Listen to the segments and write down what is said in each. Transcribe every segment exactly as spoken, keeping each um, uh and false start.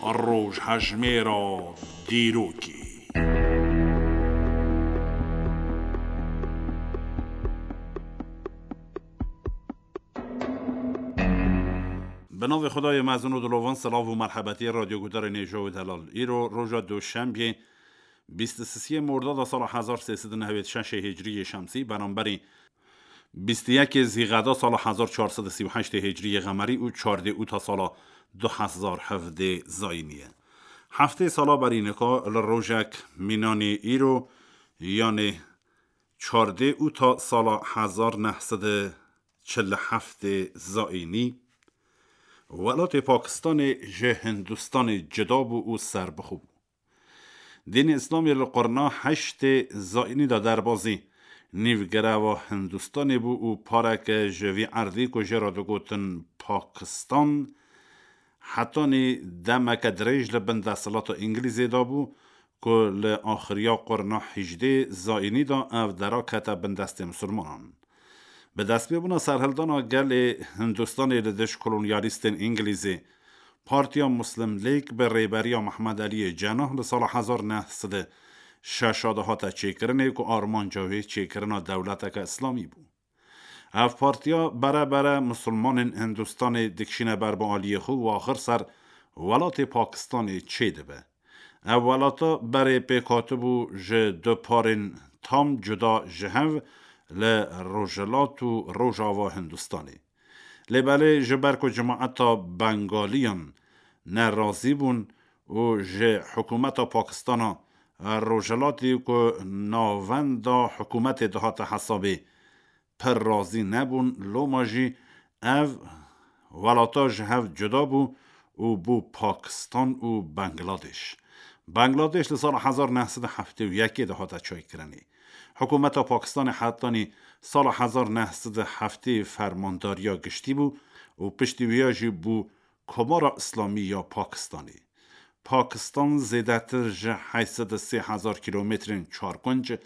Rojhejmêra dîrokê. Bi navê Xwedayê mezin û dilovan, silav û merhebetiyê radyoguhdarên hêja û delal. Îro roja Duşembiyê, bîst û sisiyê Mordada sala hezar sê sed û newêd şeşê hicriyê şemsî, beramberî bîst û yekê Zîqeda sala hezar çar sed û sî û heştê hicriyê qemerî û çardê ûta sala du hezar hevdê zayînî ye. Heftê sala berî nika li rojek mînanî îro, yanê çardê ûta sala hezar neh sed û çil û heftê zayînî, welatê Pakistanê ji Hindistanê cida bû û serbixwe bû. Dînê Îslamê li qurna heştê zayînî de derbazî nîvgireva Hindistanê bû û pareke ji vî erdî ku jê re digotin Pakistan, hetanî demeke dirêj li bin desthilata Îngilîzê de bû, ku li axiriya qurna hejdê zayînî de ev dera kete bin destê misilmanan. Bi destpêbûna serhildana gelê Hindistanê li dij kolonyalîstên Îngilîzê, Partiya Muslim League bi rêberiya Mehmed Eliyê Cenah li sala hezar neh sed û şeş de hate çêkirinê, ku armanca wê çêkirina dewleteke îslamî bû. Ev partiya bere bere misilmanên Hindistanê dikişîne ber bi aliyê xwe û axir ser welatê Pakistanê çêdibe. Ev welata berê pêk hatibû ji du parên tam cuda ji hev li rojhilat û rojava Hindistanê. Lê belê ji ber ku cemaeta Bengaliyan nerazî bûn û ji hikûmeta Pakistana Rojhilatî ku navenda hikûmetê dihate hesabê pir razî nebûn, loma jî ev welata ji hev cuda bû û bû Pakistan û Bangladeş. Bangladeş li sala hezar neh sed û heftê û yekê de hate çêkirinê. Hikûmeta Pakistanê hetanî sala hezar neh sed û heftê fermandariya giştî bû û piştî wî ya jî bû Komara Îslamî ya Pakistanê. Pakistan zêdetir ji heşt sed û sê hezar kîlometrên çarkûnc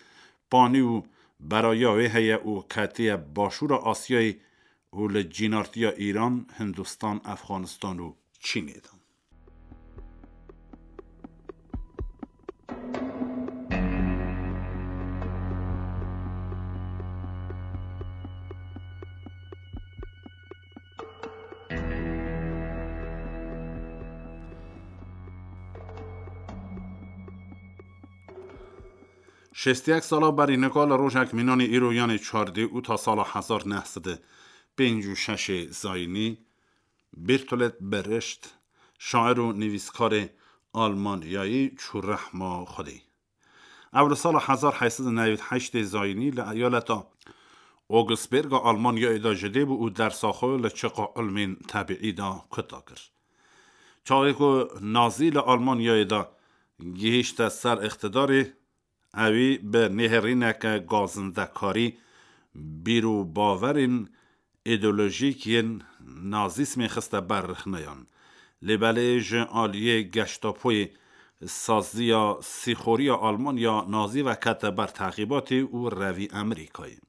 panî û beraya wê heye û ketiye Başûra Asyayê û li cînartiya Îran, Hindistan, Efxanistan û Çînê de. Şêst û yek sala berî nika li rojek mînanê îro, yanê çardê ûta sala hezar neh sed û pêncî û şeşê zayînî, Bertolt Brecht, şair û nivîskarê Almanyayî çû rehma Xwedê. Ew li sala hezar heyt sed û newêd heştê zayînî li eyaleta Augsburga Almanyayê de ji dê bû û dersa xwe li çiqa ilmên tebîî de kuta kir. Çaxê ku Nazî li Almanyayê de gihîşte ser îqtidarê, ewî bi nêrîneke gazindekarî bîr û bawerên îdeolojîk yên nazîsmê xiste ber rexneyan. Lê belê ji aliyê Gestapoyê saziya sîxoriya Almanya Nazî ve kete ber teqîbatê û revî Amerîkayê.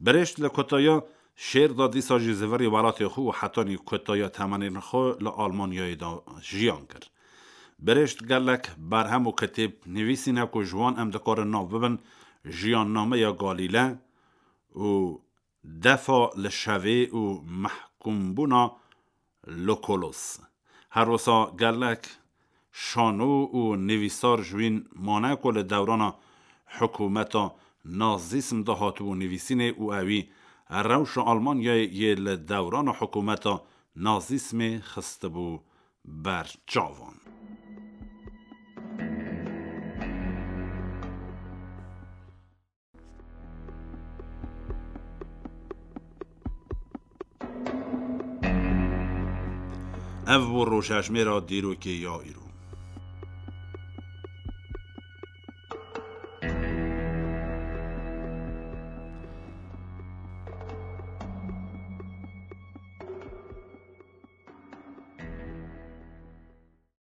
Brecht li kutaya şêr de dîsa jî zivirî welatê xwe û hetanî kutaya temenên xwe li Almanyayê de jiyan kir. Brecht gelek berhem û kitêb nivîsîne ku ji wan em dikarin nav bibin Jiyannameya Galîle û Defa li Şevê û Mehkûmbûna Lokolos. Her wisa gelek şano û nivîsar ji wîn mane ku li dewrana hikûmeta nazîsm de hatibû nivîsînê û ewî rewşa Almanyayê yê li dewrana hikûmeta nazîsmê xistibû ber çavan. Ev bû rojhejmêra dîrokê ya îro.